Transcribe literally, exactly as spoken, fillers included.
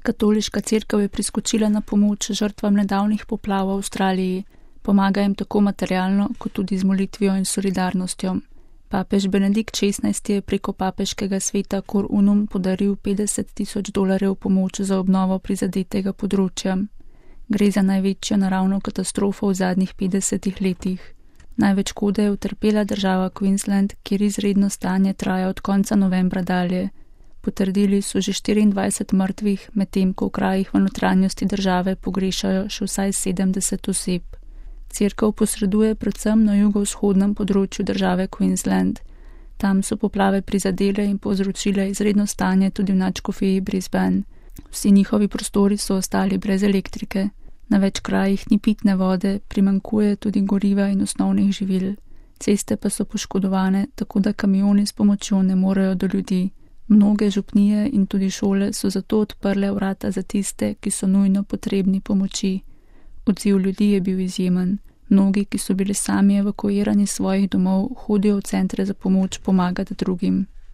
Katoliška cerkev je priskočila na pomoč žrtvam nedavnih poplav v Avstraliji, pomaga jim tako materialno, kot tudi z molitvijo in solidarnostjo. Papež Benedikt šestnajsti je preko papeškega sveta Cor Unum podaril petdeset tisoč dolarjev pomoč za obnovo prizadetega področja. Gre za največjo naravno katastrofo v zadnjih petdesetih letih. Največ škode je utrpela država Queensland, kjer izredno stanje traja od konca novembra dalje. Potrdili so že štiriindvajset mrtvih, medtem ko v krajih v notranjosti države pogrešajo še vsaj sedemdeset oseb. Cerkev posreduje predvsem na jugovzhodnem področju države Queensland. Tam so poplave prizadele in povzročile izredno stanje tudi v nadškofiji Brisbane. Vsi njihovi prostori so ostali brez elektrike. Na več krajih ni pitne vode, primanjkuje tudi goriva in osnovnih živil. Ceste pa so poškodovane, tako da kamioni s pomočjo ne morejo do ljudi. Mnoge župnije in tudi šole so zato odprle vrata za tiste, ki so nujno potrebni pomoči. Odziv ljudi je bil izjemen. Mnogi, ki so bili sami evakuirani iz svojih domov, hodijo v centre za pomoč pomagati drugim.